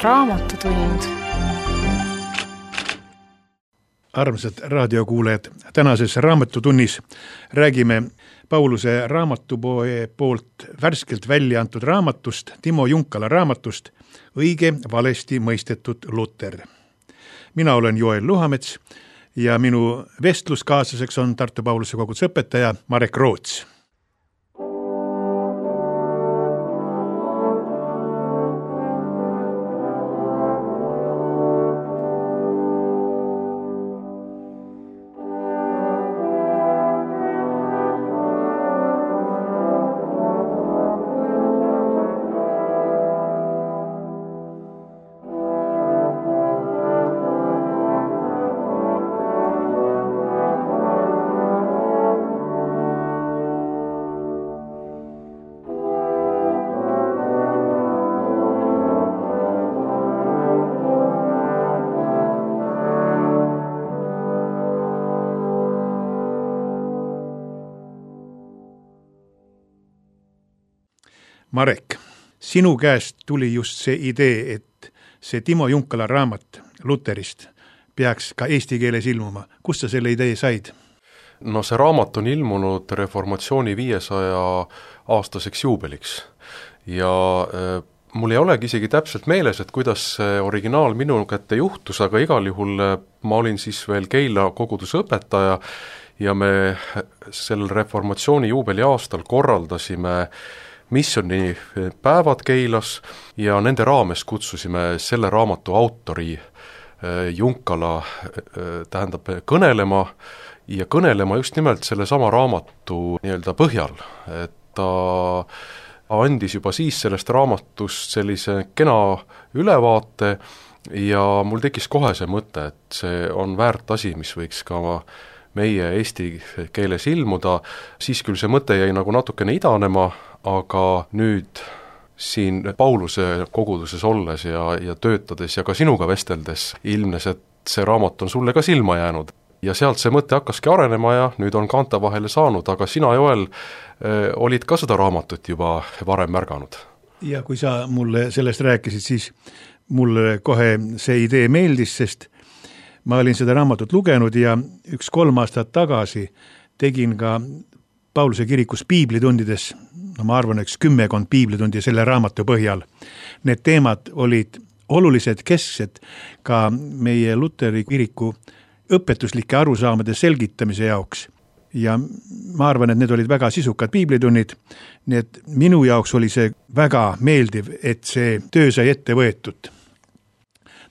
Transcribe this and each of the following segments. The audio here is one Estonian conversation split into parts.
Raamatutund. Armsad raadiokuulajad, tänases Raamatutunnis räägime Pauluse raamatupoe poolt värskelt välja antud raamatust, Timo Junkala raamatust Õige valesti mõistetud Luter. Mina olen Joel Luhamets ja minu vestluskaaslaseks on Tartu Pauluse koguduse õpetaja Marek Roots. Marek, sinu käest tuli just see idee, et see Timo Junkala raamat Luterist peaks ka eesti keeles ilmuma. Kust sa selle idee said? No see raamat on ilmunud reformatsiooni 500 aastaseks juubeliks ja mul ei olegi isegi täpselt meeles, et kuidas see originaal minu kätte juhtus, aga igal juhul ma olin siis veel Keila koguduse õpetaja ja me sellel reformatsiooni juubeli aastal korraldasime missioni päevad Keilas ja nende raames kutsusime selle raamatu autori Junkala kõnelema ja kõnelema just nimelt selle sama raamatu nii-öelda põhjal, et ta andis juba siis sellest raamatust sellise kena ülevaate ja mul tekkis kohe see mõte, et see on väärt asi, mis võiks ka meie eesti keeles ilmuda, siis küll see mõte jäi nagu natukene idanema, aga nüüd siin Pauluse koguduses olles ja töötades ja ka sinuga vesteldes ilmnes, et see raamat on sulle ka silma jäänud. Ja sealt see mõte hakkaski arenema ja nüüd on kaante vahele saanud, aga sina, Joel, olid ka seda raamatut juba varem märganud. Ja kui sa mulle sellest rääkisid, siis mulle kohe see idee meeldis, sest ma olin seda raamatut lugenud ja 3 aastat tagasi tegin ka Pauluse kirikus piiblitundides, ma arvan, 10 piiblitundi selle raamatu põhjal. Need teemad olid olulised kesksed ka meie Luteri kiriku õpetuslike arusaamade selgitamise jaoks. Ja ma arvan, et need olid väga sisukad piiblitunnid, nii et minu jaoks oli see väga meeldiv, et see töö sai ette võetud.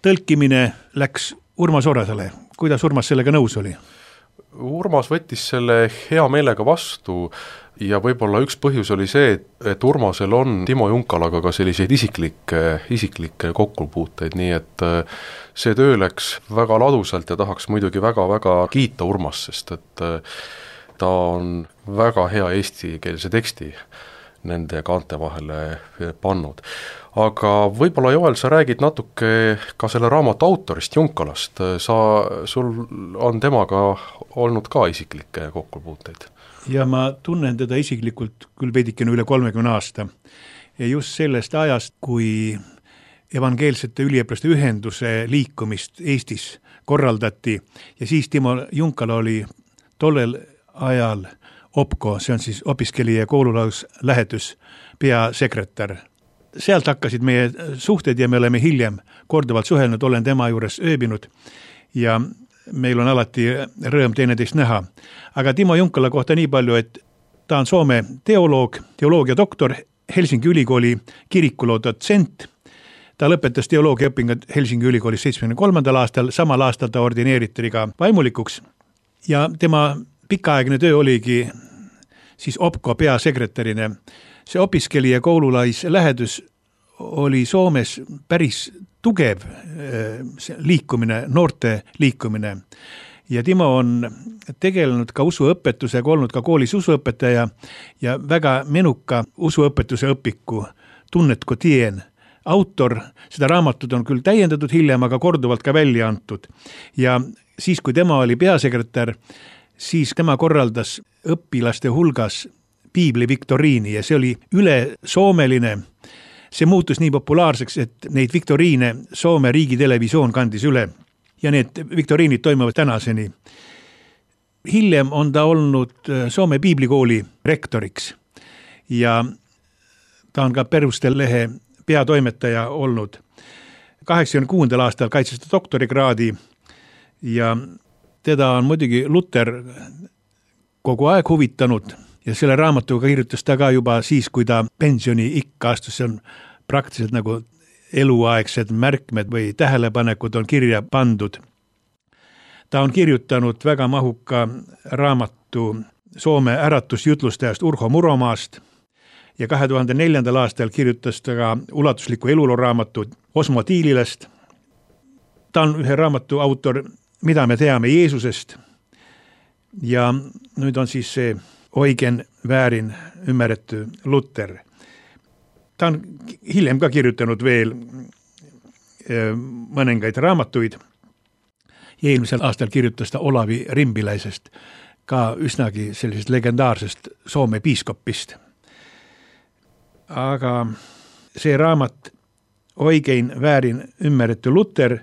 Tõlkimine läks Urmas Orasale. Kuidas Urmas sellega nõus oli? Urmas võttis selle hea meelega vastu ja võib-olla üks põhjus oli see, et Urmasel on Timo Junkalaga ka selliseid isiklikke kokkupuuteid, nii et see töö läks väga ladusalt ja tahaks muidugi väga-väga kiita Urmas, sest et ta on väga hea eestikeelse teksti nende kaante vahele pannud. Aga võib-olla, Joel, sa räägid natuke ka selle raamatu autorist Junkalast. Sul on temaga olnud ka isiklikke kokkupuuteid? Ja ma tunnen teda isiklikult küll veidikene üle 30 aasta. Ja just sellest ajast, kui evangeelsete üliõpilaste ühenduse liikumist Eestis korraldati ja siis Timo Junkala oli tollel ajal OPKO, see on siis opiskeli- ja koolulaus lähetus peasekretär. Sealt hakkasid meie suhted ja me oleme hiljem korduvalt suhelnud, olen tema juures ööbinud ja meil on alati rõõm teineteist näha. Aga Timo Junkala kohta nii palju, et ta on Soome teoloog, teoloogia doktor, Helsingi ülikooli kirikuloo dotsent. Ta lõpetas teoloogia õpingud Helsingi ülikoolis 73. aastal, samal aastal ta ordineeriti ka vaimulikuks ja tema pikaaegne töö oligi siis OPKO peasekretärina. See opiskeli- ja koululais lähedus oli Soomes päris tugev liikumine, noorte liikumine. Ja Timo on tegelenud ka usuõpetusega, olnud ka koolis usuõpetaja ja väga menuka usuõpetuse õpiku Tunnet kui tien autor. Seda raamatut on küll täiendatud hiljem, aga korduvalt ka välja antud. Ja siis, kui tema oli peasekretär, siis tema korraldas õpilaste hulgas piibli viktoriini ja see oli üle soomeline see muutus nii populaarseks, et neid viktoriine Soome riigitelevisioon kandis üle ja need viktoriinid toimuvad tänaseni. Hiljem on ta olnud Soome piiblikooli rektoriks ja ta on ka Perustel lehe peatoimetaja olnud. 86. aastal kaitses ta doktorikraadi ja teda on muidugi Luter kogu aeg huvitanud ja selle raamatuga kirjutas ta ka juba siis, kui ta pensioni ikka astus. See on praktiliselt nagu eluaegsed märkmed või tähelepanekud on kirja pandud. Ta on kirjutanud väga mahuka raamatu Soome äratusjutlustajast Urho Muromaast ja 2004. aastal kirjutas ta ka ulatusliku elulooraamatu Osmo Tiililast. Ta on ühe raamatu autor Mida me teame Jeesusest ja nüüd on siis see Eugen Väärin ymmärretty Luther. Ta on hiljem ka kirjutanud veel mõningaid raamatuid ja eelmisel aastal kirjutas ta Olavi Rimbiläisest, ka üsnagi sellisest legendaarsest Soome piiskopist. Aga see raamat Eugen Väärin ymmärretty Luther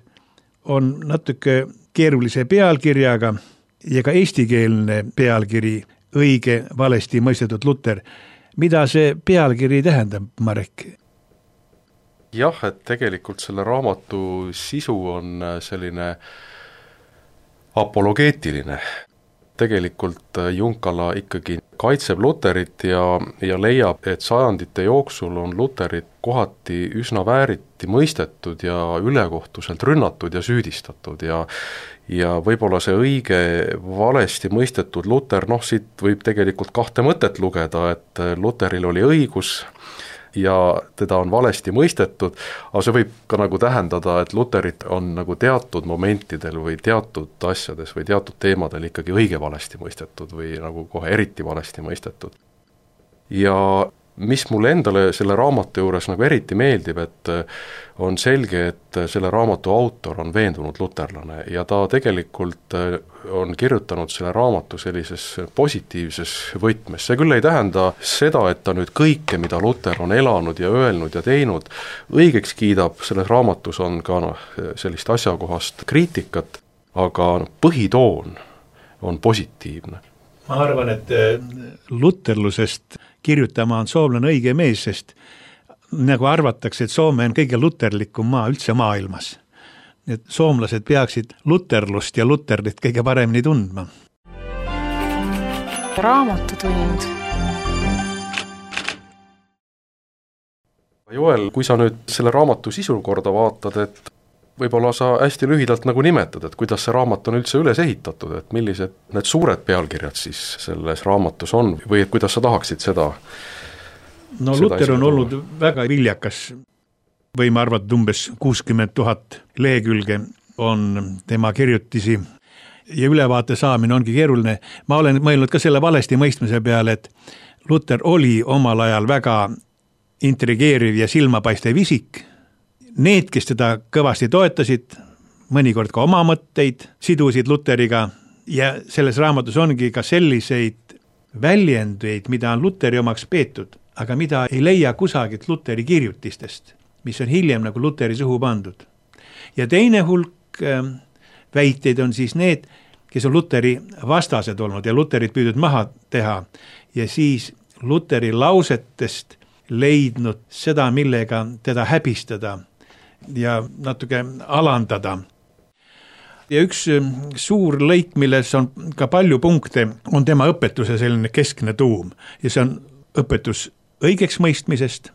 on natuke keerulise pealkirjaga ja ka eestikeelne pealkiri Õige valesti mõistetud Luther. Mida see pealkiri tähendab, Marek? Jah, et tegelikult selle raamatu sisu on selline apologeetiline. Tegelikult Junkala ikkagi kaitseb Luterit ja leiab, et sajandite jooksul on Luterit kohati üsna vääriti mõistetud ja ülekohtuselt rünnatud ja süüdistatud ja võib-olla see õige valesti mõistetud Luter, siit võib tegelikult kahte mõtet lugeda, et Luteril oli õigus ja teda on valesti mõistetud, aga see võib ka nagu tähendada, et Luterit on nagu teatud momentidel või teatud asjades või teatud teemadel ikkagi õige valesti mõistetud või nagu kohe eriti valesti mõistetud. Ja mis mulle endale selle raamatu juures nagu eriti meeldib, et on selge, et selle raamatu autor on veendunud luterlane ja ta tegelikult on kirjutanud selle raamatu sellises positiivses võtmes. See küll ei tähenda seda, et ta nüüd kõike, mida Luter on elanud ja öelnud ja teinud, õigeks kiidab, selles raamatus on ka sellist asjakohast kriitikat, aga põhitoon on positiivne. Ma arvan, et luterlusest kirjutama on soomlane õige mees, sest nagu arvatakse, et Soome on kõige luterlikum maa üldse maailmas. Et soomlased peaksid luterlust ja luterlit kõige paremini tundma. Raamatutund. Joel, kui sa nüüd selle raamatu sisu korda vaatad, et võib-olla sa hästi lühidalt nagu nimetad, et kuidas see raamat on üldse üles ehitatud, et millised need suured pealkirjad siis selles raamatus on või et kuidas sa tahaksid seda? No Luter on olnud väga viljakas, võime arvata umbes 60 000 lehekülge on tema kirjutisi ja ülevaate saamine ongi keeruline. Ma olen mõelnud ka selle valesti mõistmise peale, et Luter oli omal ajal väga intrigeeriv ja silmapaistev isik. Need, kes teda kõvasti toetasid, mõnikord ka oma mõtteid, sidusid Luteriga ja selles raamatus ongi ka selliseid väljendeid, mida on Luteri omaks peetud, aga mida ei leia kusagilt Luteri kirjutistest, mis on hiljem nagu Luteri suhu pandud. Ja teine hulk väiteid on siis need, kes on Luteri vastased olnud ja Luterit püüdnud maha teha ja siis Luteri lausetest leidnud seda, millega teda häbistada ja natuke alandada. Ja üks suur lõik, milles on ka palju punkte, on tema õpetuse selline keskne tuum ja see on õpetus õigeks mõistmisest.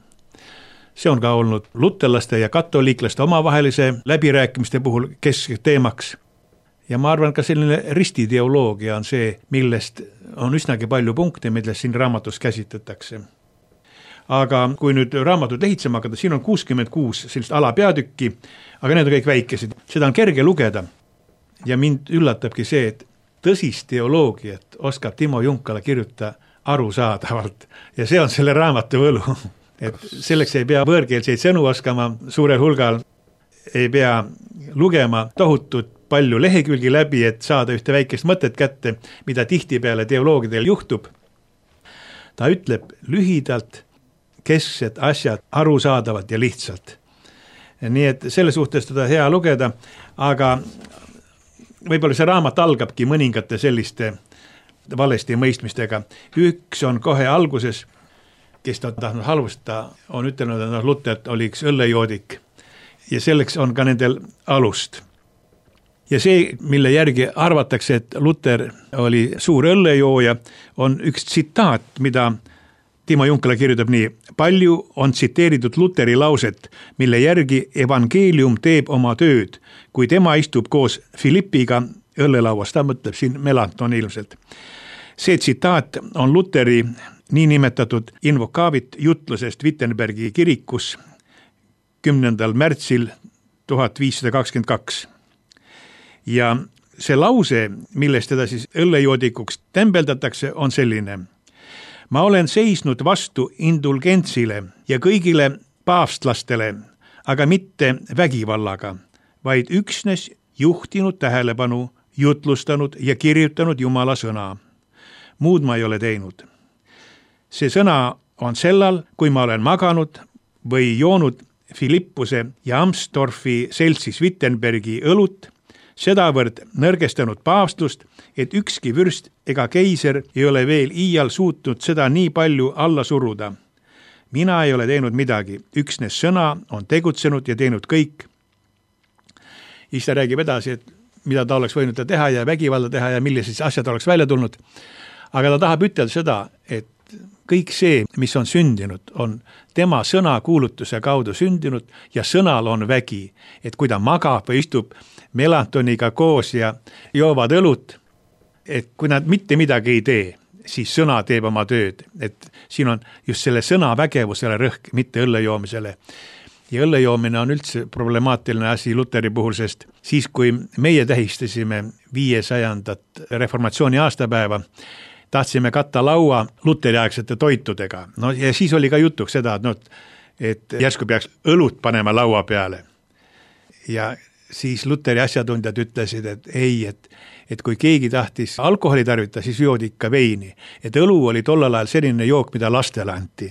See on ka olnud luterlaste ja katoliiklaste omavahelise läbirääkimiste puhul keskteemaks. Ja ma arvan, ka selline ristideoloogia on see, millest on üsnagi palju punkte, millest siin raamatus käsitletakse. Aga kui nüüd raamatut lehitsema hakata, siin on 66 sellist alapeatükki, aga need on kõik väikesed. Seda on kerge lugeda ja mind üllatabki see, et tõsist teoloogiat oskab Timo Junkala kirjutada arusaadavalt ja see on selle raamatu võlu. Et selleks ei pea võõrkeelseid sõnu oskama suurel hulgal, ei pea lugema tohutut palju lehekülgi läbi, et saada ühte väikest mõtet kätte, mida tihtipeale teoloogidel juhtub. Ta ütleb lühidalt, kesksed asjad arusaadavalt ja lihtsalt. Nii et selle suhtes teda hea lugeda, aga võib-olla see raamat algabki mõningate selliste valesti mõistmistega. Üks on kohe alguses, kes ta tahtnud halvustada, on ütelnud, et Luther oli üks õllejoodik ja selleks on ka nendel alust. Ja see, mille järgi arvatakse, et Luther oli suur õllejooja, on üks tsitaat, mida Timo Junkala kirjutab nii: palju on tsiteeritud Lutheri lauset, mille järgi evangeelium teeb oma tööd, kui tema istub koos Philippiga õllelauas, ta mõtleb siin Melanchthon ilmselt. See tsitaat on Lutheri niinimetatud invokavit jutlusest Wittenbergi kirikus 10. märtsil 1522. Ja see lause, millest teda siis õllejoodikuks tembeldatakse, on selline: ma olen seisnud vastu indulgentsile ja kõigile paavstlastele, aga mitte vägivallaga, vaid üksnes juhtinud tähelepanu, jutlustanud ja kirjutanud Jumala sõna. Muud ma ei ole teinud. See sõna on sellal, kui ma olen maganud või joonud Philippuse ja Amsdorfi seltsis Wittenbergi õlut, sedavõrd nõrgestanud paavstlust, et ükski vürst ega keiser ei ole veel iial suutnud seda nii palju alla suruda. Mina ei ole teinud midagi, üksnes sõna on tegutsenud ja teinud kõik. Siis ta räägib edasi, et mida ta oleks võinud teha ja vägivalda teha ja millised asjad oleks välja tulnud. Aga ta tahab ütelda seda, et kõik see, mis on sündinud, on tema sõnakuulutuse kaudu sündinud ja sõnal on vägi. Et kui ta magab või istub Melanchthoniga koos ja joovad õlut, et kui nad mitte midagi ei tee, siis sõna teeb oma tööd. Et siin on just selle sõna vägevusele rõhk, mitte õllejoomisele. Ja õllejoomine on üldse problemaatiline asi Lutheri puhul, sest siis, kui meie tähistasime 500. reformatsiooni aastapäeva, tahtsime katta laua luteriaaegsete toitudega. No ja siis oli ka jutuks seda, et järsku peaks õlut panema laua peale. Ja siis Lutheri asjatundjad ütlesid, et ei, et kui keegi tahtis alkoholi tarvita, siis joodi ikka veini. Et õlu oli tollal ajal selline jook, mida lastele anti.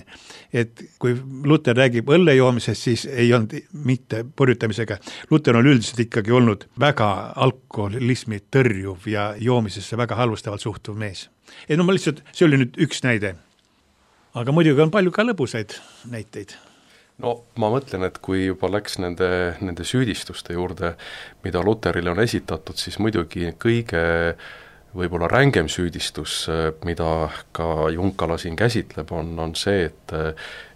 Et kui Luther räägib õllejoomisest, siis ei olnud mitte purjutamisega. Luther on üldiselt ikkagi olnud väga alkoholismi tõrjuv ja joomisesse väga halvustavalt suhtuv mees. Et ma lihtsalt, see oli nüüd üks näide. Aga muidugi on palju ka lõbusaid näiteid. No ma mõtlen, et kui juba läks nende süüdistuste juurde, mida Lutherile on esitatud, siis muidugi kõige võib-olla rängem süüdistus, mida ka Junkala siin käsitleb, on see,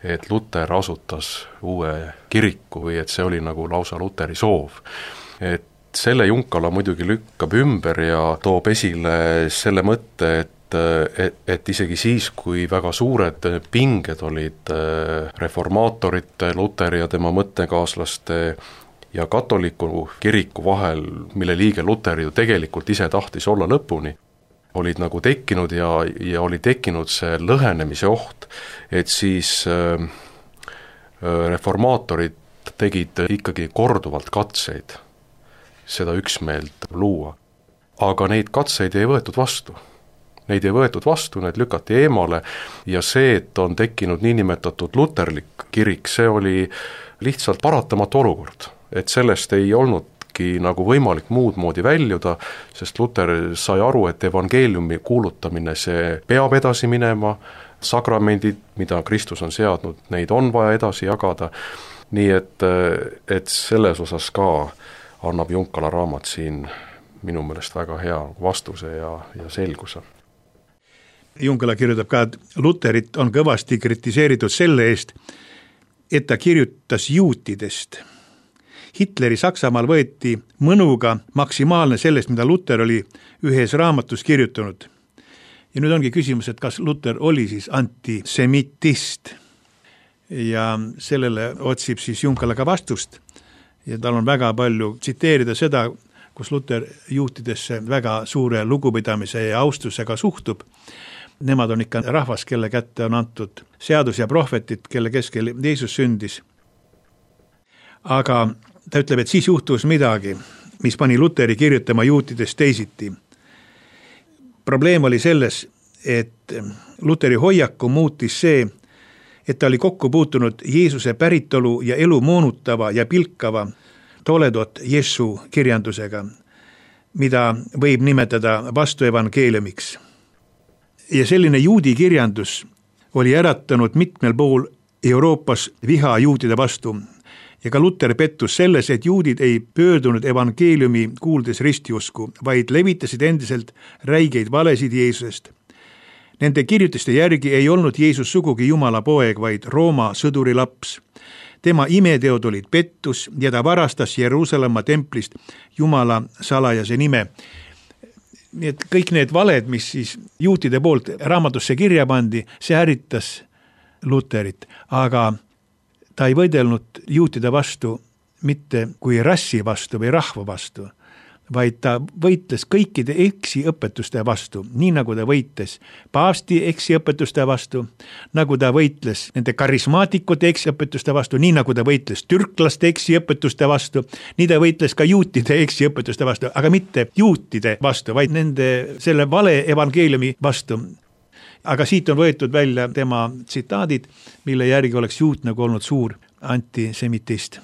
et Luther asutas uue kiriku või et see oli nagu lausa Lutheri soov. Et selle Junkala muidugi lükkab ümber ja toob esile selle mõtte, et isegi siis, kui väga suured pinged olid reformaatorite, Lutheri ja tema mõttekaaslaste ja katoliku kiriku vahel, mille liige Luther ju tegelikult ise tahtis olla lõpuni, olid nagu tekkinud ja oli tekkinud see lõhenemise oht, et siis reformaatorid tegid ikkagi korduvalt katseid seda üksmeelt luua. Aga neid katseid ei võetud vastu. Neid ei võetud vastu, need lükati eemale ja see, et on tekkinud niinimetatud luterlik kirik, see oli lihtsalt paratamatu olukord, et sellest ei olnudki nagu võimalik muud moodi väljuda, sest Luther sai aru, et evangeeliumi kuulutamine, see peab edasi minema, sakramendid, mida Kristus on seadnud, neid on vaja edasi jagada, nii et selles osas ka annab Junkala raamat siin minu meelest väga hea vastuse ja selguse. Junkala kirjutab ka, et Lutherit on kõvasti kritiseeritud selle eest, et ta kirjutas juutidest. Hitleri Saksamaal võeti mõnuga maksimaalne sellest, mida Luther oli ühes raamatus kirjutanud. Ja nüüd ongi küsimus, et kas Luther oli siis antisemitist. Ja sellele otsib siis Junkala ka vastust. Ja tal on väga palju tsiteerida seda, kus Luther juutidesse väga suure lugupidamise ja austusega suhtub. Nemad on ikka rahvas, kelle kätte on antud seadus ja prohvetid, kelle keskel Jeesus sündis. Aga ta ütleb, et siis juhtus midagi, mis pani Lutheri kirjutama juutidest teisiti. Probleem oli selles, et Lutheri hoiaku muutis see, et ta oli kokku puutunud Jeesuse päritolu ja elu moonutava ja pilkava Toledot Jesu kirjandusega, mida võib nimetada vastuevangeeliumiks. Ja selline juudi kirjandus oli äratanud mitmel pool Euroopas viha juudide vastu ja ka Luter pettus selles, et juudid ei pöördunud evangeeliumi kuuldes ristiusku, vaid levitasid endiselt räigeid valesid Jeesusest. Nende kirjutiste järgi ei olnud Jeesus sugugi Jumala poeg, vaid Rooma sõduri laps. Tema imeteod olid pettus ja ta varastas Jeruusalemma templist Jumala salajase nime. Nii et kõik need valed, mis siis juutide poolt raamatusse kirja pandi, see ärritas Luterit, aga ta ei võidelnud juutide vastu mitte kui rassi vastu või rahva vastu, vaid ta võitles kõikide eksiõpetuste vastu, nii nagu ta võitles paavsti eksiõpetuste vastu, nagu ta võitles nende karismaatikute eksiõpetuste vastu, nii nagu ta võitles türklaste eksiõpetuste vastu, nii ta võitles ka juutide eksiõpetuste vastu, aga mitte juutide vastu, vaid nende selle vale evangeeliumi vastu. Aga siit on võetud välja tema tsitaadid, mille järgi oleks juut nagu olnud suur antisemitist.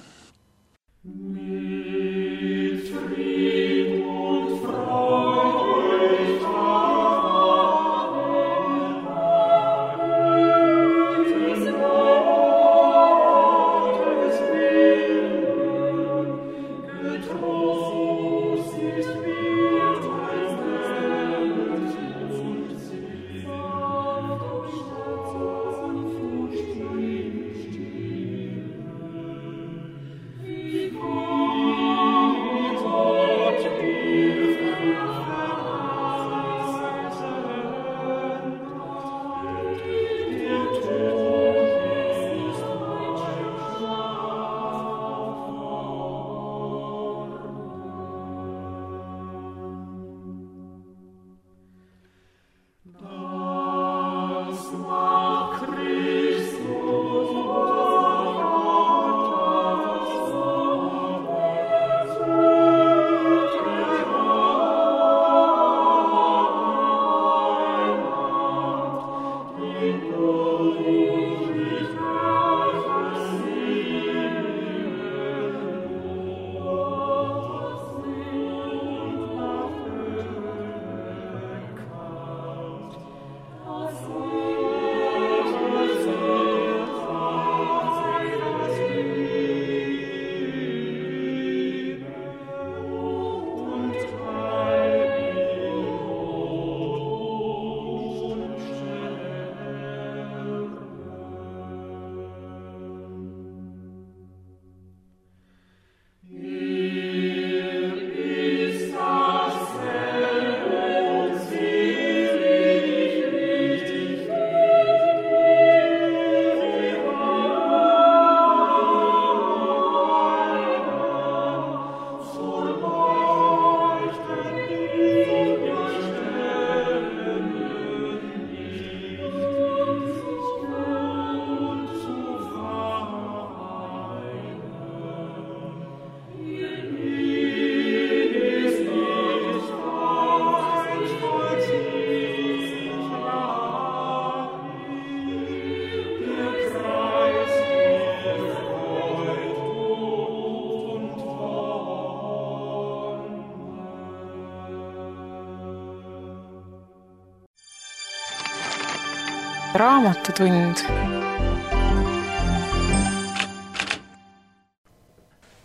Raamatutund.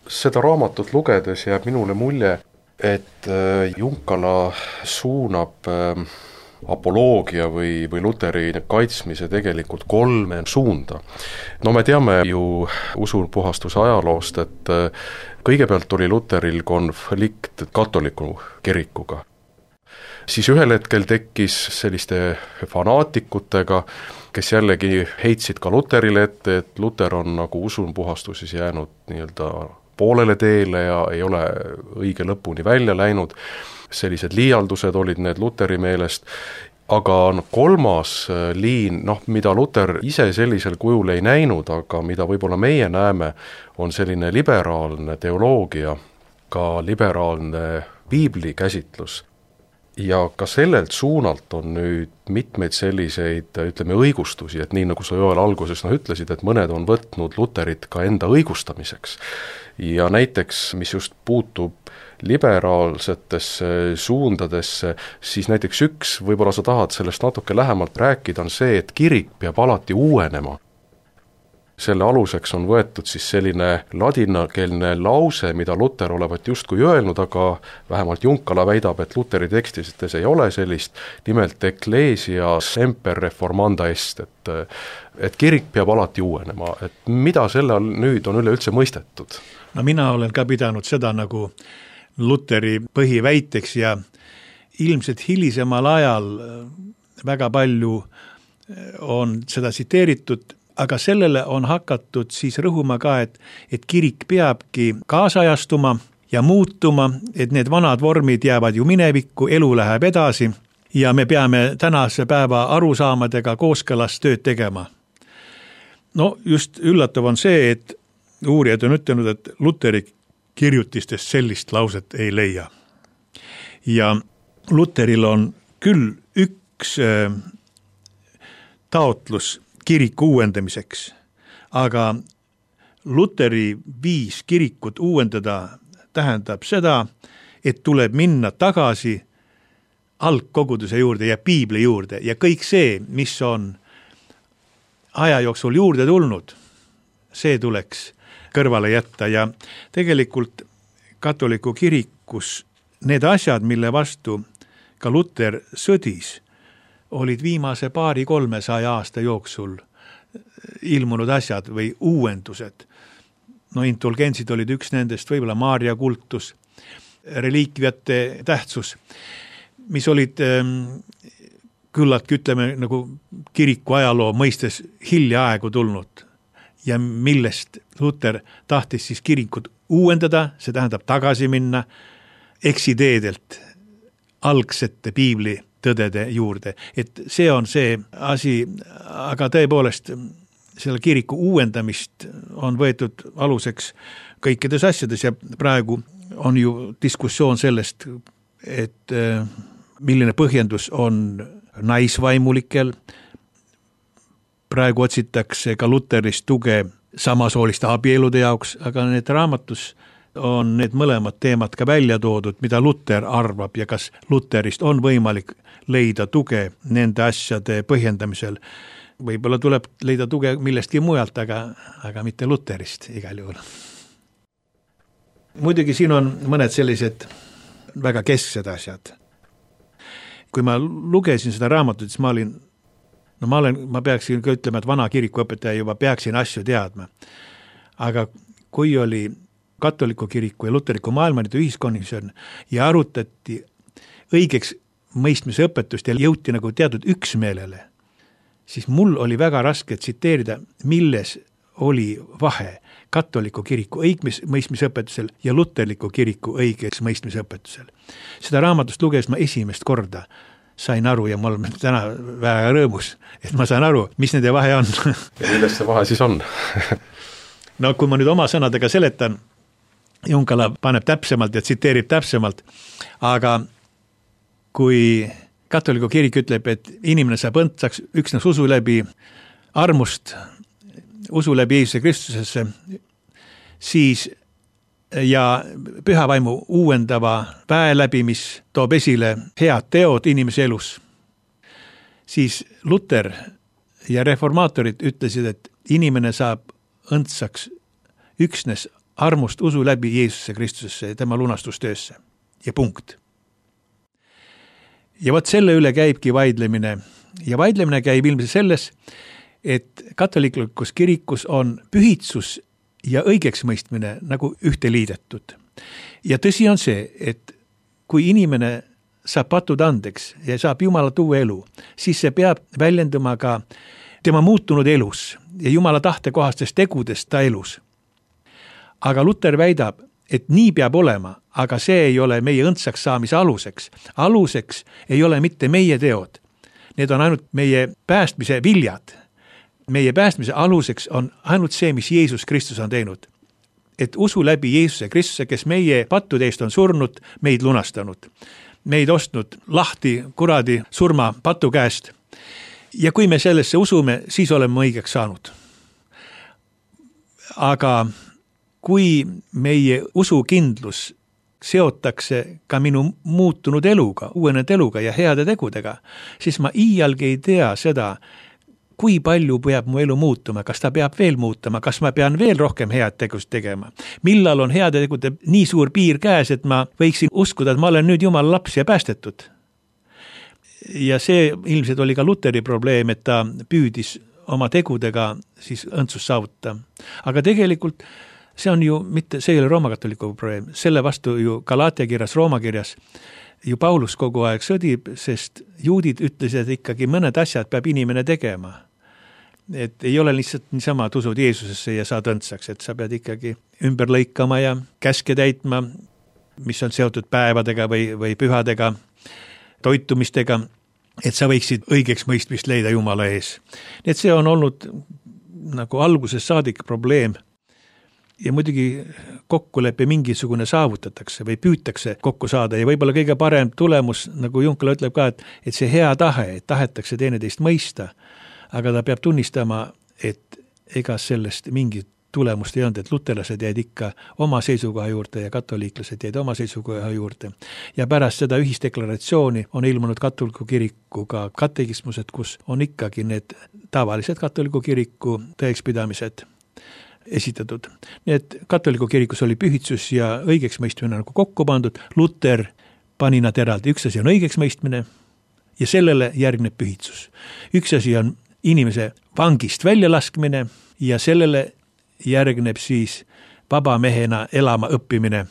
Seda raamatut lugedes jääb minule mulje, et Junkala suunab apoloogia või Luteri kaitsmise tegelikult 3 suunda. No me teame ju usupuhastuse ajaloost, et kõigepealt oli Luteril konflikt katoliku kirikuga. Siis ühel hetkel tekkis selliste fanaatikutega, kes jällegi heitsid ka Luterile ette, et Luter on nagu usupuhastuses jäänud nii-öelda poolele teele ja ei ole õige lõpuni välja läinud. Sellised liialdused olid need Luteri meelest, aga 3. liin, mida Luter ise sellisel kujul ei näinud, aga mida võib-olla meie näeme, on selline liberaalne teoloogia, ka liberaalne piibli käsitlus. ja ka sellelt suunalt on nüüd mitmeid selliseid, ütleme, õigustusi, et nii nagu sa Joel alguses ütlesid, et mõned on võtnud Luterit ka enda õigustamiseks. Ja näiteks, mis just puutub liberaalsetesse suundadesse, siis näiteks üks, võib-olla sa tahad sellest natuke lähemalt rääkida, on see, et kirik peab alati uuenema. Selle aluseks on võetud siis selline ladinakeelne lause, mida Luter olevat justkui öelnud, aga vähemalt Junkala väidab, et Luteri tekstides ei ole sellist, nimelt ecclesia semper reformanda est, et kirik peab alati uuenema, et mida selle all nüüd on üleüldse mõistetud? No mina olen ka pidanud seda nagu Luteri põhiväiteks ja ilmselt hilisemal ajal väga palju on seda tsiteeritud, aga sellele on hakatud siis rõhuma ka, et kirik peabki kaasajastuma ja muutuma, et need vanad vormid jäävad ju minevikku, elu läheb edasi ja me peame tänase päeva arusaamadega kooskõlas tööd tegema. No just üllatav on see, et uurijad on ütelnud, et Luteri kirjutistest sellist lauset ei leia. Ja Luteril on küll üks taotlus kiriku uuendamiseks, aga Luteri viis kirikut uuendada tähendab seda, et tuleb minna tagasi algkoguduse juurde ja piibli juurde ja kõik see, mis on aja jooksul juurde tulnud, see tuleks kõrvale jätta ja tegelikult katoliku kirikus need asjad, mille vastu ka Luter sõdis, olid viimase 200-300 aasta jooksul ilmunud asjad või uuendused. No indulgentsid olid üks nendest, võib-olla Maarja kultus, reliikviate tähtsus, mis olid küllaltki, ütleme, nagu kiriku ajaloo mõistes hiljaaegu tulnud ja millest Luter tahtis siis kirikut uuendada, see tähendab tagasi minna eksideedelt algsete piibli tõdede juurde, et see on see asi, aga tõepoolest selle kiriku uuendamist on võetud aluseks kõikides asjades ja praegu on ju diskussioon sellest, et milline põhjendus on naisvaimulikel, praegu otsitakse ka Luterist tuge samasooliste abielude jaoks, aga need raamatus on need mõlemad teemad ka välja toodud, mida Luter arvab ja kas Luterist on võimalik leida tuge nende asjade põhjendamisel. Võib-olla tuleb leida tuge millestki mujalt, aga mitte Luterist igal juhul. Muidugi siin on mõned sellised väga kesksed asjad. Kui ma lugesin seda raamatut, siis ma peaksin ka ütlema, et vana kirikuõpetaja juba peaksin asju teadma. Aga kui oli katoliku kiriku ja luteriku maailmaniidu ühiskomisjon ja arutati õigeks mõistmise õpetust ja jõuti nagu teatud üksmeelele, siis mul oli väga raske tsiteerida, milles oli vahe katoliku kiriku õigmõistmise õpetusel ja luterliku kiriku õigeks mõistmise õpetusel. Seda raamatust luges ma esimest korda, sain aru ja ma olen täna väga rõõmus, et ma saan aru, mis nende vahe on. Ja milles see vahe siis on? No kui ma nüüd oma sõnadega seletan, Junkala paneb täpsemalt ja tsiteerib täpsemalt, aga kui katoliku kirik ütleb, et inimene saab õndsaks üksnes usu läbi armust, usu läbi Jeesuse Kristusesse, siis ja pühavaimu uuendava väe läbi, mis toob esile head teod inimese elus, siis Luter ja reformaatorid ütlesid, et inimene saab õndsaks üksnes armust usu läbi Jeesuse Kristusesse ja tema lunastustöösse ja punkt. Ja vot selle üle käibki vaidlemine ja vaidlemine käib ilmselt selles, et katolikus kirikus on pühitsus ja õigeksmõistmine nagu ühte liidetud. Ja tõsi on see, et kui inimene saab patud andeks ja saab Jumalat uue elu, siis see peab väljenduma ka tema muutunud elus ja Jumala tahtekohastest tegudest ta elus. Aga Luter väidab, et nii peab olema, aga see ei ole meie õndsaks saamise aluseks. Aluseks ei ole mitte meie teod. Need on ainult meie päästmise viljad. Meie päästmise aluseks on ainult see, mis Jeesus Kristus on teinud. Et usu läbi Jeesuse Kristuse, kes meie pattude eest on surnud, meid lunastanud. meid ostnud lahti kuradi surma patu käest. Ja kui me sellesse usume, siis oleme õigeks saanud. Aga kui meie usukindlus seotakse ka minu muutunud eluga, uuenenud eluga ja heade tegudega, siis ma iialgi ei tea seda, kui palju peab mu elu muutuma, kas ta peab veel muutuma, kas ma pean veel rohkem head tegust tegema. Millal on heade tegude nii suur piir käes, et ma võiksin uskuda, et ma olen nüüd Jumala laps ja päästetud. Ja see ilmselt oli ka Luteri probleem, et ta püüdis oma tegudega siis õndsust saavutada. Aga tegelikult see on ju mitte, see ei ole roomakatoliku probleem, selle vastu ju Galaatia kirjas, Rooma kirjas ju Paulus kogu aeg sõdib, sest juudid ütlesid ikkagi mõned asjad peab inimene tegema. Et ei ole lihtsalt niisama, et usud Jeesusesse ja saad õndsaks, et sa pead ikkagi ümber lõikama ja käske täitma, mis on seotud päevadega või pühadega, toitumistega, et sa võiksid õigeks mõistmist leida Jumala ees. Et see on olnud nagu alguses saadik probleem. Ja muidugi kokkulepe mingisugune saavutatakse või püütakse kokku saada ja võib-olla kõige parem tulemus, nagu Junkala ütleb ka, et see hea tahe, et tahetakse teineteist mõista, aga ta peab tunnistama, et ega sellest mingit tulemust ei olnud, et luterlased jäid ikka oma seisukoha juurde ja katoliiklased jäid oma seisukoha juurde. Ja pärast seda ühisdeklaratsiooni on ilmunud katoliku kirikuga katekismused, kus on ikkagi need tavalised katoliku kiriku tõekspidamised esitatud. Nii et katoliku kirikus oli pühitsus ja õigeks mõistmine nagu kokku pandud. Luter pani nad eraldi. Üks asi on õigeks mõistmine ja sellele järgneb pühitsus. Üks asi on inimese vangist väljalaskmine ja sellele järgneb siis vaba mehena elama õppimine.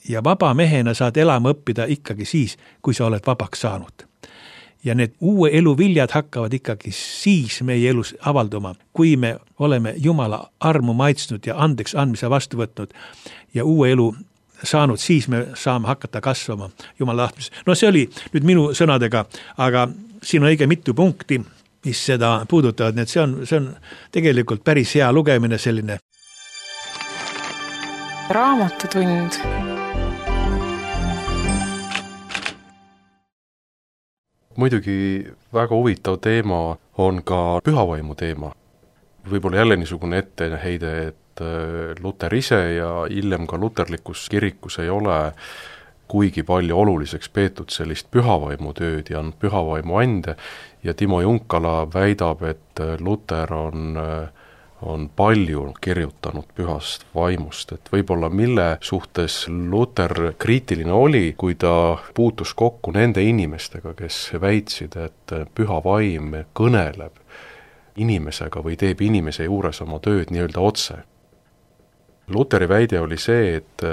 Ja vaba mehena saad elama õppida ikkagi siis, kui sa oled vabaks saanud. Ja need uue elu viljad hakkavad ikkagi siis meie elus avalduma, kui me oleme Jumala armu maitsnud ja andeks andmise vastu võtnud ja uue elu saanud, siis me saame hakata kasvama Jumala tahtmises. No see oli nüüd minu sõnadega, aga siin on õige mitu punkti, mis seda puudutavad, nii et see on tegelikult päris hea lugemine selline. Raamatutund. Muidugi väga huvitav teema on ka pühavaimu teema. Võib-olla jälle niisugune etteheide, et Luter ise ja hiljem ka luterlikus kirikus ei ole kuigi palju oluliseks peetud sellist pühavaimu tööd ja on pühavaimu ande ja Timo Junkala väidab, et Luter on palju kirjutanud pühast vaimust, et võib-olla mille suhtes Luter kriitiline oli, kui ta puutus kokku nende inimestega, kes väitsid, et püha vaim kõneleb inimesega või teeb inimese juures oma tööd nii-öelda otse. Luteri väide oli see, et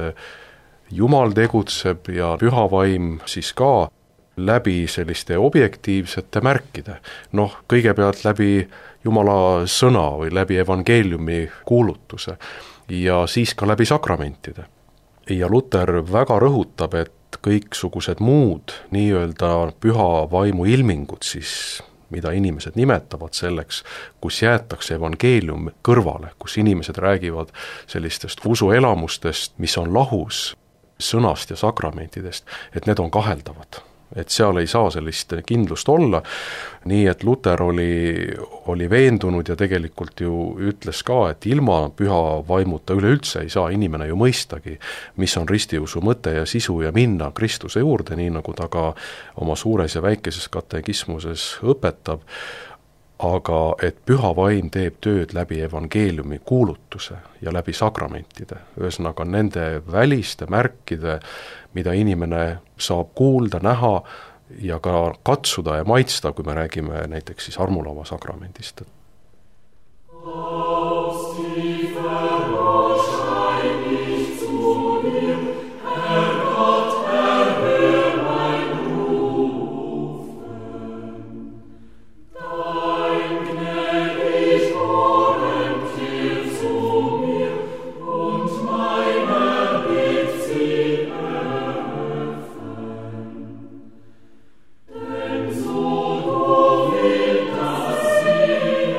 Jumal tegutseb ja püha vaim siis ka läbi selliste objektiivsete märkide. Kõigepealt läbi Jumala sõna või läbi evangeeliumi kuulutuse ja siis ka läbi sakramentide. Ja Luter väga rõhutab, et kõiksugused muud nii-öelda püha vaimu ilmingud siis, mida inimesed nimetavad selleks, kus jäetakse evangeelium kõrvale, kus inimesed räägivad sellistest usuelamustest, mis on lahus sõnast ja sakramentidest, et need on kaheldavad. Et seal ei saa sellist kindlust olla, nii et Luter oli veendunud ja tegelikult ju ütles ka, et ilma püha vaimuta üleüldse ei saa inimene ju mõistagi, mis on ristiusu mõte ja sisu ja minna Kristuse juurde, nii nagu ta ka oma suures ja väikeses katekismuses õpetab, aga et püha vaim teeb tööd läbi evangeeliumi kuulutuse ja läbi sakramentide, ühesõnaga nende väliste märkide, mida inimene saab kuulda, näha ja ka katsuda ja maitsta, kui me räägime näiteks siis armulava sakramendist. So du willst, dass sie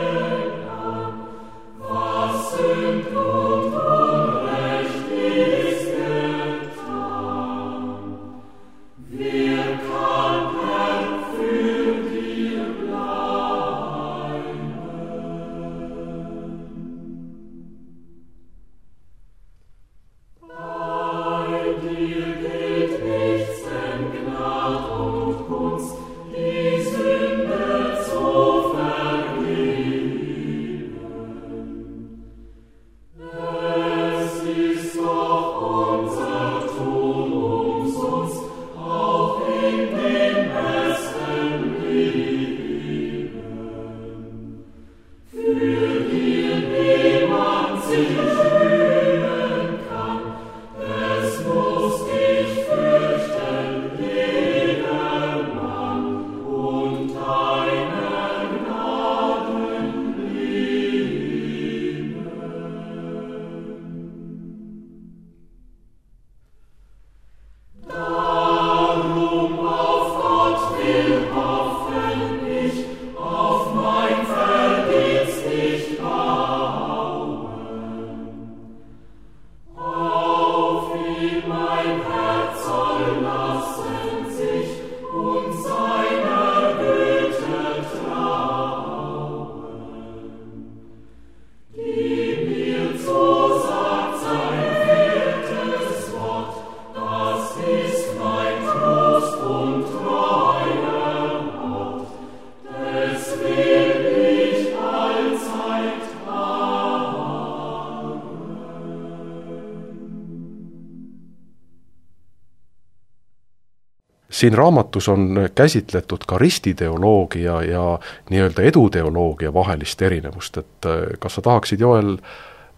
Siin raamatus on käsitletud ka ristiteoloogia ja nii-öelda eduteoloogia vahelist erinevust, et kas sa tahaksid, Joel,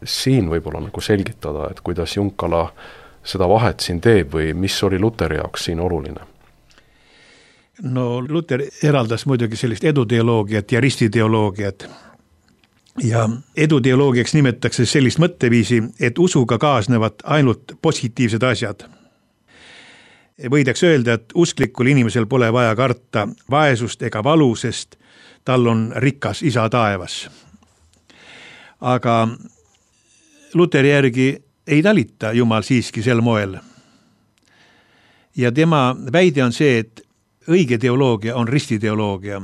siin võib-olla nagu selgitada, et kuidas Junkala seda vahet siin teeb või mis oli Luteri jaoks siin oluline? No Luter eraldas muidugi sellist eduteoloogiat ja ristiteoloogiat. Ja eduteoloogiaks nimetatakse sellist mõtteviisi, et usuga kaasnevad ainult positiivsed asjad. Võidaks öelda, et usklikul inimesel pole vaja karta vaesust ega valu, sest tal on rikas isa taevas. Aga Luteri järgi ei talita Jumal siiski sel moel. Ja tema väide on see, et õige teoloogia on ristiteoloogia.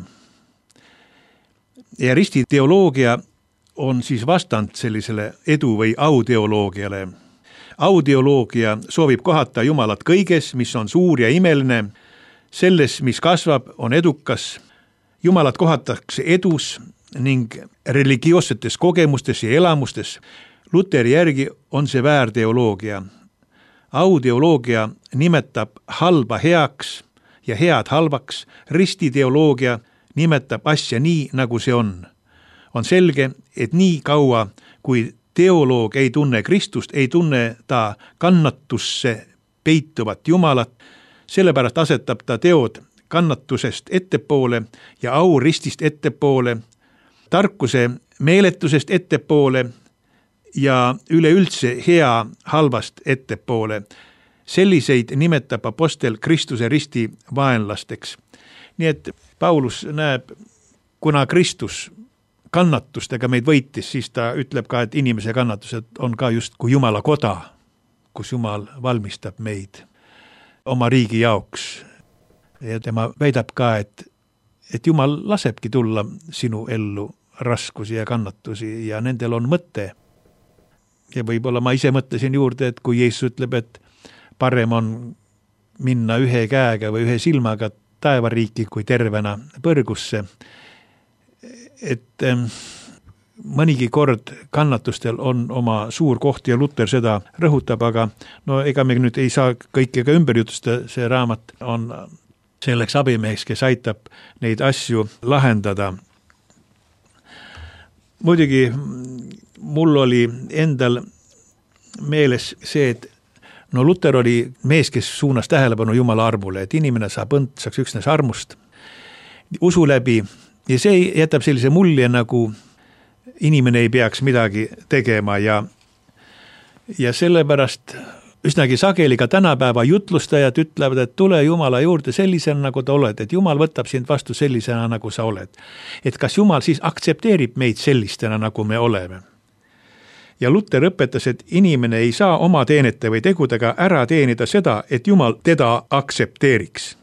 Ja ristiteoloogia on siis vastand sellisele edu- või auteoloogiale. Auteoloogia soovib kohata Jumalat kõiges, mis on suur ja imeline, selles, mis kasvab, on edukas. Jumalat kohatakse edus ning religioossetes kogemustes ja elamustes. Luteri järgi on see väärteoloogia. Auteoloogia nimetab halba heaks ja head halvaks. Ristiteoloogia nimetab asja nii, nagu see on. On selge, et nii kaua, kui teoloog ei tunne Kristust, ei tunne ta kannatusse peituvat Jumalat, sellepärast asetab ta teod kannatusest ettepoole ja au ristist ettepoole, tarkuse meeletusest ettepoole ja üleüldse hea halvast ettepoole. Selliseid nimetab apostel Kristuse risti vaenlasteks. Nii et Paulus näeb, kuna Kristus kannatustega meid võitis, siis ta ütleb ka, et inimese kannatused on ka just kui Jumala koda, kus Jumal valmistab meid oma riigi jaoks. Ja tema väidab ka, et Jumal lasebki tulla sinu ellu raskusi ja kannatusi ja nendel on mõte. Ja võib-olla ma ise mõtlesin juurde, et kui Jeesus ütleb, et parem on minna ühe käega või ühe silmaga taevariiki kui tervena põrgusse, et mõnigi kord kannatustel on oma suur koht ja Luter seda rõhutab, aga no ega me nüüd ei saa kõike ka ümber jutustada, see raamat on selleks abimeheks, kes aitab neid asju lahendada. Muidugi mul oli endal meeles see, et no Luter oli mees, kes suunas tähelepanu Jumala armule, et inimene saab õndsaks üksnes armust, usu läbi. Ja see jätab sellise mulje, nagu inimene ei peaks midagi tegema ja sellepärast üsnagi sageli ka tänapäeva jutlustajad ütlevad, et tule Jumala juurde sellisena, nagu ta oled, et Jumal võtab sind vastu sellisena, nagu sa oled. Et kas Jumal siis aktsepteerib meid sellistena, nagu me oleme? Ja Luter õpetas, et inimene ei saa oma teenete või tegudega ära teenida seda, et Jumal teda aktsepteeriks.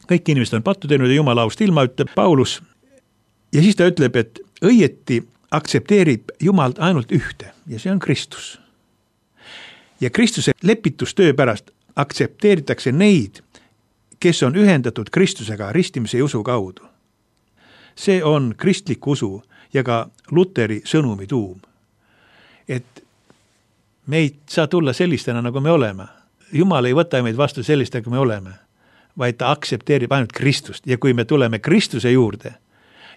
Kõik inimesed on pattu teinud ja Jumala aust ilma, ütleb Paulus. Ja siis ta ütleb, et õieti aktsepteerib Jumalt ainult ühte ja see on Kristus. Ja Kristuse lepitustöö pärast aktsepteeritakse neid, kes on ühendatud Kristusega ristimise usu kaudu. See on kristlik usu ja ka Luteri sõnumi tuum. Et me ei saa tulla sellistena, nagu me oleme. Jumal ei võta meid vastu sellist, nagu me oleme. vaid ta aktsepteerib ainult Kristust ja kui me tuleme Kristuse juurde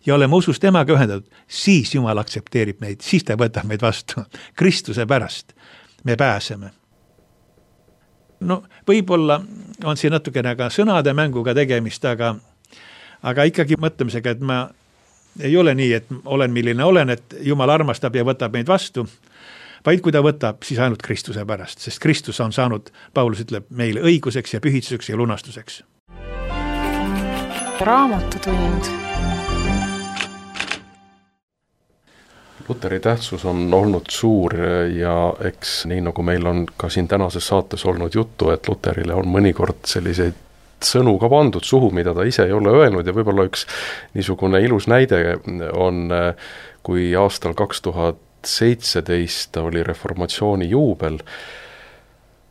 ja oleme usus temaga ühendatud, siis Jumal aktsepteerib meid, siis ta võtab meid vastu. Kristuse pärast me pääseme. No võib-olla on siin natukene ka sõnade mänguga tegemist, aga ikkagi mõtlemisega, et ma ei ole nii, et olen milline olen, et Jumal armastab ja võtab meid vastu, vaid kui ta võtab, siis ainult Kristuse pärast, sest Kristus on saanud, Paulus ütleb, meile õiguseks ja pühitsuseks ja lunastuseks. Raamatutund. Luteri tähtsus on olnud suur ja eks nii nagu meil on ka siin tänases saates olnud juttu, et Luterile on mõnikord selliseid sõnu ka pandud suhu, mida ta ise ei ole öelnud ja võib-olla üks niisugune ilus näide on, kui aastal 2017 oli reformatsiooni juubel,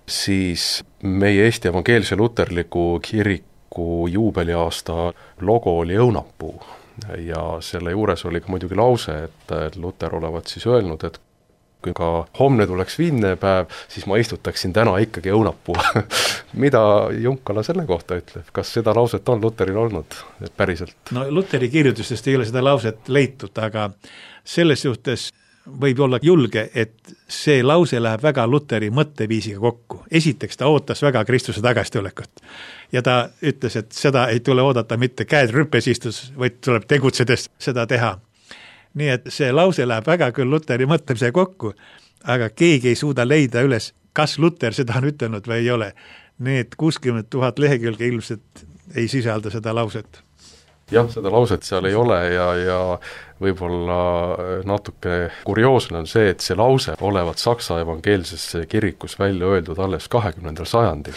siis meie Eesti Evangeelse Luterliku Kiriku juubeliaasta logo oli õunapuu. Ja selle juures oli ka muidugi lause, et Luter olevat siis öelnud, et kui ka homne tuleks viimne päev, siis ma istutaksin täna ikkagi õunapuu. Mida Junkala selle kohta ütleb? Kas seda lauset on Luteril olnud päriselt? No Luteri kirjutustest ei ole seda lauset leitud, aga selles suhtes võib olla julge, et see lause läheb väga Luteri mõtteviisiga kokku. Esiteks ta ootas väga Kristuse tagastulekut ja ta ütles, et seda ei tule oodata mitte käed rüppes istus, vaid tuleb tegutsedes seda teha. Nii et see lause läheb väga küll Luteri mõtlemise kokku, aga keegi ei suuda leida üles, kas Luter seda on ütelnud või ei ole. Need 60 000 lehekülge ilmselt ei sisalda seda lauset. Jah, seda lauset seal ei ole ja võib-olla natuke kurioosne on see, et see lause olevat Saksa evangeelsesse kirikus välja öeldud alles 20. sajandil.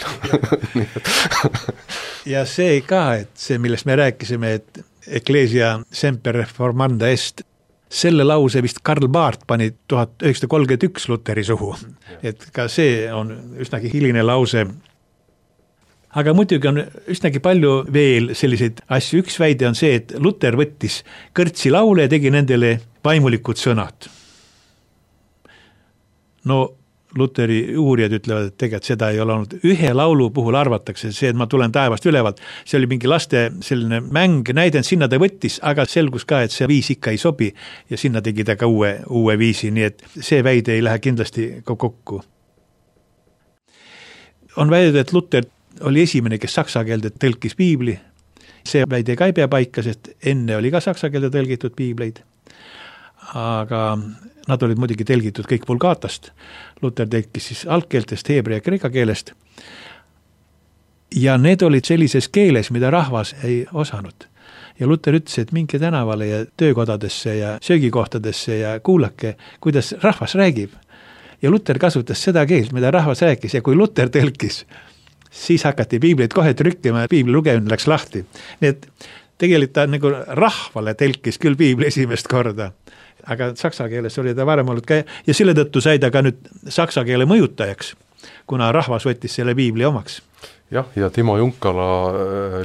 Ja see ka, et see, millest me rääkisime, et Ecclesia semper reformanda est, selle lause vist Karl Barth pani 1931 Luteri suhu. Et ka see on üsnagi hiline lause. Aga muidugi on üsnagi palju veel selliseid asju. Üks väide on see, et Luter võttis kõrtsi laule ja tegi nendele vaimulikud sõnad. No Luteri uurijad ütlevad, et tegelikult seda ei ole olnud. Ühe laulu puhul arvatakse see, et ma tulen taevast ülevalt. See oli mingi laste selline mäng, näidend, sinna ta võttis, aga selgus ka, et see viis ikka ei sobi ja sinna tegi ta ka uue viisi, nii et see väide ei lähe kindlasti kokku. On väidud, et Luter oli esimene, kes saksa keelde tõlkis piibli. See väide ka ei pea paika, sest enne oli ka saksa keelde tõlgitud piibleid. Aga nad olid muidugi tõlgitud kõik vulgaatast. Luter tõlkis siis algkeeltest, heebrea ja kreeka keelest. Ja need olid sellises keeles, mida rahvas ei osanud. Ja Luter ütles, et minge tänavale ja töökodadesse ja söögikohtadesse ja kuulake, kuidas rahvas räägib. Ja Luter kasutas seda keelt, mida rahvas rääkis ja kui Luter tõlkis, siis hakati piibleid kohe trükkima ja piibli lugemine läks lahti. Nii et tegelikult ta nagu rahvale tõlkis küll piibli esimest korda, aga saksa keeles oli ta varem olnud ka ja selle tõttu sai ta ka nüüd saksa keele mõjutajaks, kuna rahvas võttis selle piibli omaks. Jah, ja Timo Junkala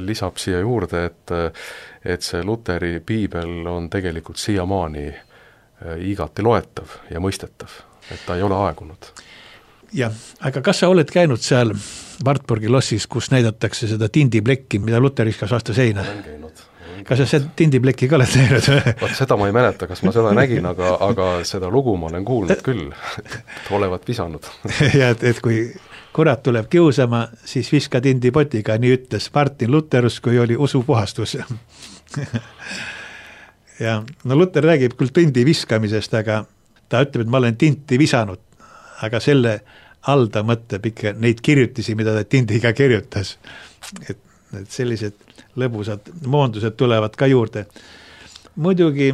lisab siia juurde, et see Luteri piibel on tegelikult siiamaani igati loetav ja mõistetav, et ta ei ole aegunud. Jah, aga kas sa oled käinud seal Wartburgi lossis, kus näidatakse seda tindiplekki, mida Luter viskas vastu seina? Olen käinud. Kas sa seda tindiplekki ka oled näinud? Vaat seda ma ei mäleta, kas ma seda nägin, aga seda lugu ma olen kuulnud küll, et olevat visanud. Ja, et kui kurat tuleb kiusama, siis viska tindipotiga, nii ütles Martin Lutherus, kui oli usupuhastus. Ja no Luter räägib küll tindi viskamisest, aga ta ütleb, et ma olen tinti visanud, aga selle all ta mõtleb ikka neid kirjutisi, mida ta tindiga kirjutas. Et sellised lõbusad moondused tulevad ka juurde. Muidugi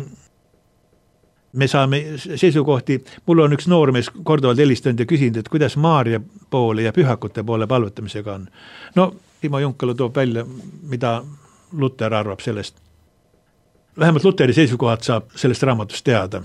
me saame seisukohti, mul on üks noormees korduvalt helistanud ja küsinud, et kuidas Maaria poole ja pühakute poole palvetamisega on. No, Timo Junkala toob välja, mida Luter arvab sellest. Vähemalt Luteri seisukohad saab sellest raamatust teada.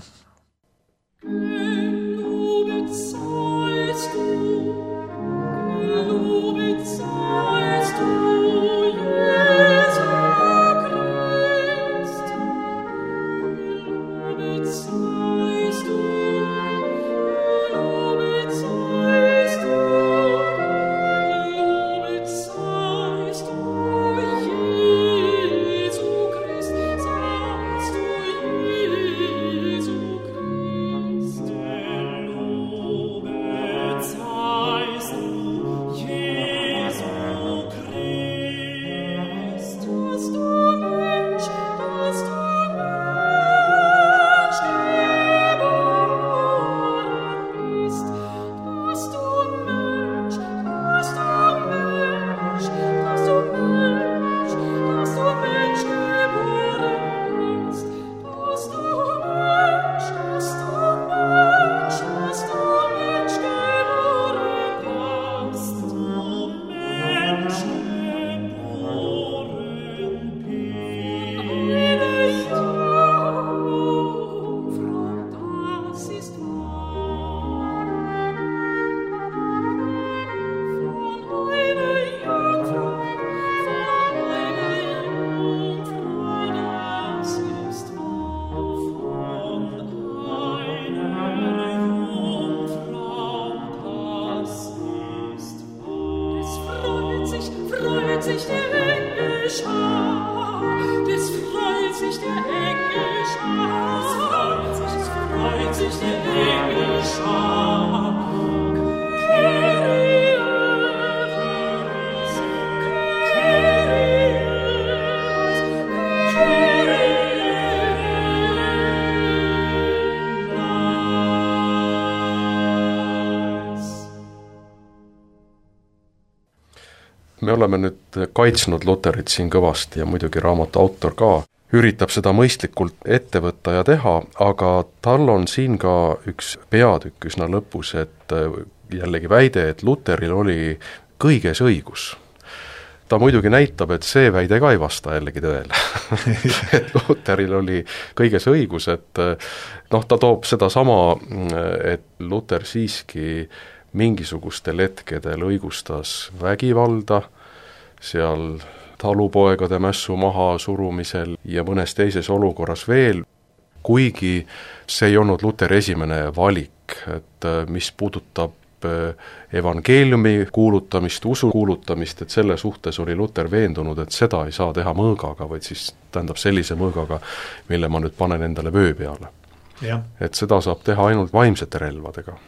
Me oleme nüüd kaitsnud Luterit siin kõvasti ja muidugi raamatu autor ka üritab seda mõistlikult ette võtta ja teha, aga tal on siin ka üks peatükk üsna lõpus, et jällegi väide, et Luteril oli kõiges õigus. Ta muidugi näitab, et see väide ka ei vasta jällegi tõele. Et Luteril oli kõiges õigus, et ta toob seda sama, et Luter siiski mingisugustel hetkedel õigustas vägivalda, seal talupoegade mässu maha surumisel ja mõnes teises olukorras veel, kuigi see ei olnud Luteri esimene valik, et mis puudutab evangeeliumi kuulutamist, usu kuulutamist, et selle suhtes oli Luter veendunud, et seda ei saa teha mõõgaga, vaid siis tähendab sellise mõõgaga, mille ma nüüd panen endale vöö peale. Et seda saab teha ainult vaimsete relvadega.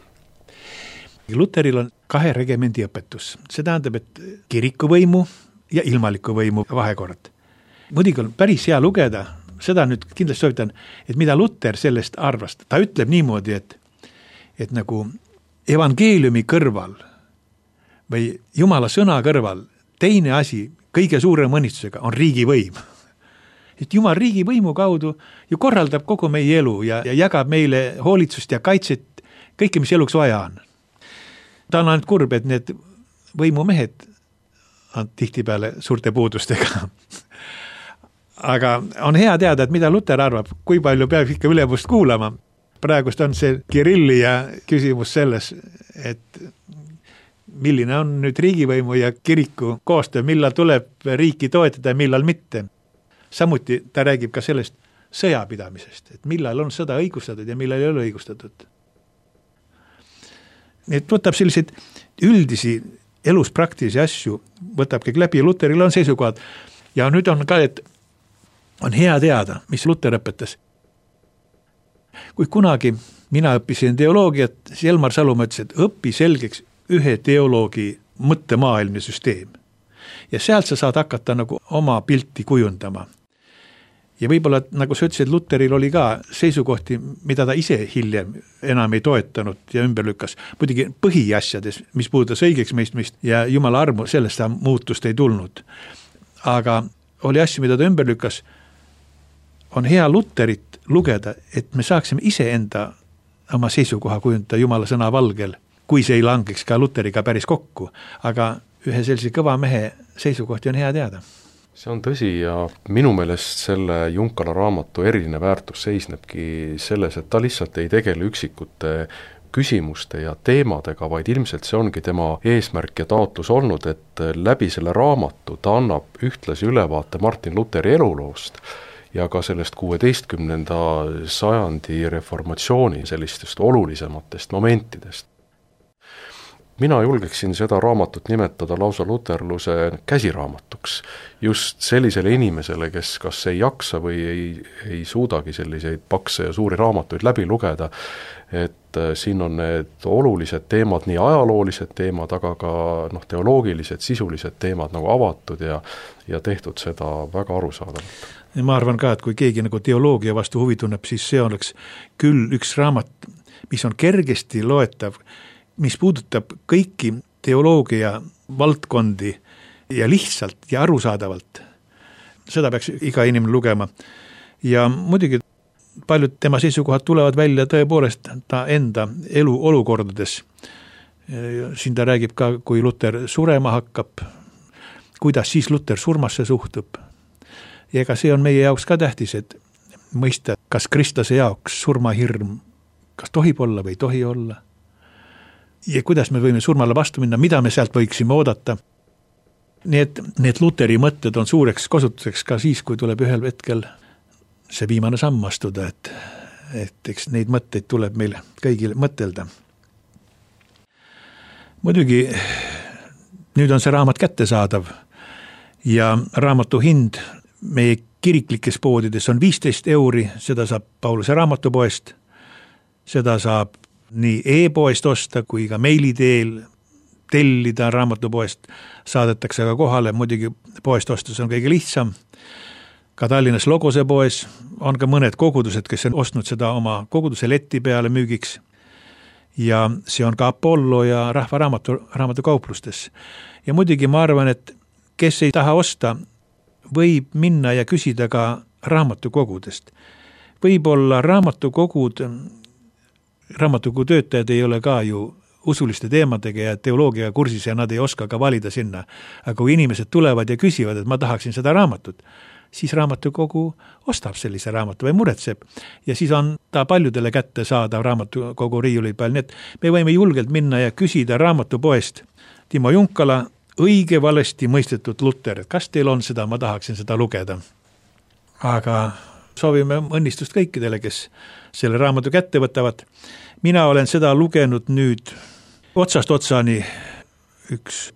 Luteril on 2 regimendi õpetus. See tähendab, et kirikuvõimu ja ilmaliku võimu vahekord. Muidugi on päris hea lugeda, seda nüüd kindlasti soovitan, et mida Luter sellest arvas. Ta ütleb niimoodi, et nagu evangeeliumi kõrval või Jumala sõna kõrval teine asi kõige suurem õnnistusega on riigivõim. Et Jumal riigivõimu kaudu ju korraldab kogu meie elu ja jagab meile hoolitsust ja kaitset, kõike, mis eluks vaja on. Ta on ainult kurb, et need võimumehed on tihtipeale suurte puudustega. Aga on hea teada, et mida Luter arvab, kui palju peab ikka ülemust kuulama. Praegust on see Kirilli ja küsimus selles, et milline on nüüd riigivõimu ja kiriku koostöö, millal tuleb riiki toetada ja millal mitte. Samuti ta räägib ka sellest sõjapidamisest, et millal on sõda õigustatud ja millal ei ole õigustatud. Et võtab selliseid üldisi elus praktilisi asju, võtab kõik läbi ja Luteril on seisukohad. Ja nüüd on ka, et on hea teada, mis Luter õpetas. Kui kunagi mina õppisin teoloogiat, siis Elmar Salumaa ütles, et õppi selgeks ühe teoloogi mõttemaailmne süsteem. Ja sealt sa saad hakata nagu oma pilti kujundama. Ja võib-olla, nagu sa ütlesid, Luteril oli ka seisukohti, mida ta ise hiljem enam ei toetanud ja ümber lükkas. Muidugi põhiasjades, mis puudutas õigeks mõistmist ja Jumala armu, sellest ta muutust ei tulnud. Aga oli asju, mida ta ümber lükkas. On hea Luterit lugeda, et me saaksime ise enda oma seisukoha kujundada Jumala sõna valgel, kui see ei langeks ka Luteriga päris kokku. Aga ühe sellise kõva mehe seisukohti on hea teada. See on tõsi ja minu meelest selle Junkala raamatu eriline väärtus seisnebki selles, et ta lihtsalt ei tegele üksikute küsimuste ja teemadega, vaid ilmselt see ongi tema eesmärk ja taotlus olnud, et läbi selle raamatu ta annab ühtlasi ülevaate Martin Luteri eluloost ja ka sellest 16. sajandi reformatsiooni sellistest olulisematest momentidest. Mina julgeksin seda raamatut nimetada lausa luterluse käsiraamatuks. Just sellisele inimesele, kes kas ei jaksa või ei suudagi selliseid pakse ja suuri raamatuid läbi lugeda, et siin on need olulised teemad, nii ajaloolised teemad, aga ka teoloogilised, sisulised teemad nagu avatud ja tehtud seda väga arusaadavalt. Ma arvan ka, et kui keegi nagu teoloogia vastu huvi tunneb, siis see oleks küll üks raamat, mis on kergesti loetav, mis puudutab kõiki teoloogia valdkondi ja lihtsalt ja arusaadavalt. Seda peaks iga inimene lugema. Ja muidugi paljud tema seisukohad tulevad välja tõepoolest ta enda elu olukordades. Siin ta räägib ka, kui Luter surema hakkab, kuidas siis Luter surmasse suhtub. Ja ega see on meie jaoks ka tähtis, et mõista, kas kristlase jaoks surmahirm, kas tohib olla või ei tohi olla. Ja kuidas me võime surmale vastu minna, mida me sealt võiksime oodata. Need Luteri mõtted on suureks kasutuseks ka siis, kui tuleb ühel hetkel see viimane samm astuda, et eks neid mõtteid tuleb meil kõigil mõtelda. Muidugi nüüd on see raamat kättesaadav ja raamatu hind meie kiriklikes poodides on 15 €, seda saab Pauluse raamatupoest, seda saab nii e-poest osta kui ka meili teel tellida raamatupoest, saadetakse ka kohale, muidugi poest ostus on kõige lihtsam. Ka Tallinnas Logose poes on ka mõned kogudused, kes on ostnud seda oma koguduse leti peale müügiks. Ja see on ka Apollo ja Rahva raamatukauplustes. Ja muidugi ma arvan, et kes ei taha osta, võib minna ja küsida ka raamatukogudest. Võib-olla raamatukogu töötajad ei ole ka ju usuliste teemadega ja teoloogia kursis ja nad ei oska ka valida sinna. Aga kui inimesed tulevad ja küsivad, et ma tahaksin seda raamatut, siis raamatukogu ostab sellise raamatu või muretseb. Ja siis on ta paljudele kätte saada raamatukogu riiuli peal. Nii et me võime julgelt minna ja küsida raamatupoest Timo Junkala õige valesti mõistetud Luter, et kas teil on seda, ma tahaksin seda lugeda. Aga soovime õnnistust kõikidele, kes selle raamatu kätte võtavad. Mina olen seda lugenud nüüd otsast otsani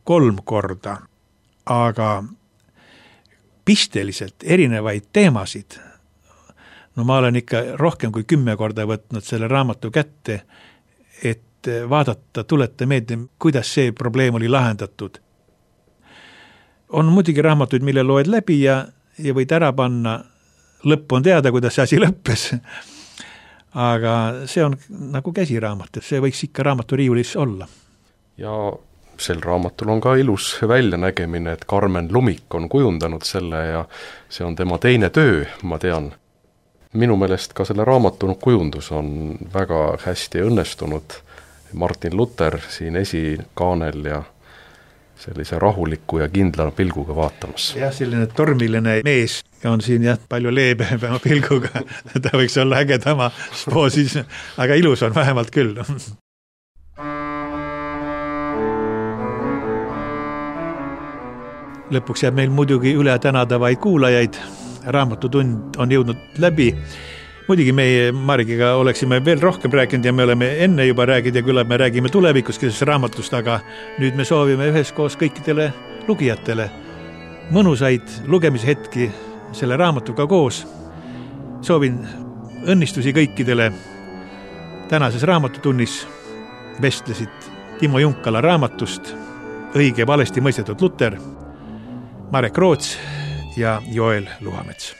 3 korda, aga pisteliselt erinevaid teemasid. No ma olen ikka rohkem kui 10 korda võtnud selle raamatu kätte, et vaadata, tuleta meelde, kuidas see probleem oli lahendatud. On muidugi raamatuid, mille loed läbi ja võid ära panna, lõpp on teada, kuidas see asi lõppes. Aga see on nagu käsiraamat, see võiks ikka raamaturiiulis olla. Ja sel raamatul on ka ilus väljanägemine, et Karmen Lumik on kujundanud selle ja see on tema teine töö, ma tean. Minu meelest ka selle raamatu kujundus on väga hästi õnnestunud. Martin Luther siin esikaanel ja sellise rahuliku ja kindla pilguga vaatamas. Jah, selline tormiline mees on siin palju leebema pilguga. Ta võiks olla ägedama spoosis, aga ilus on vähemalt küll. Lõpuks jääb meil muidugi üle tänada vaid kuulajaid. Raamatutund on jõudnud läbi. Muidugi meie Marigiga oleksime veel rohkem rääkinud ja me oleme enne juba rääkinud ja küllap me räägime tulevikus sellest raamatust, aga nüüd me soovime üheskoos kõikidele lugijatele mõnusaid lugemishetki selle raamatuga koos. Soovin õnnistusi kõikidele. Tänases raamatutunnis vestlesid Timo Junkala raamatust Õige valesti mõistetud Luter, Marek Roots ja Joel Luhamets.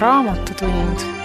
Raamatutund.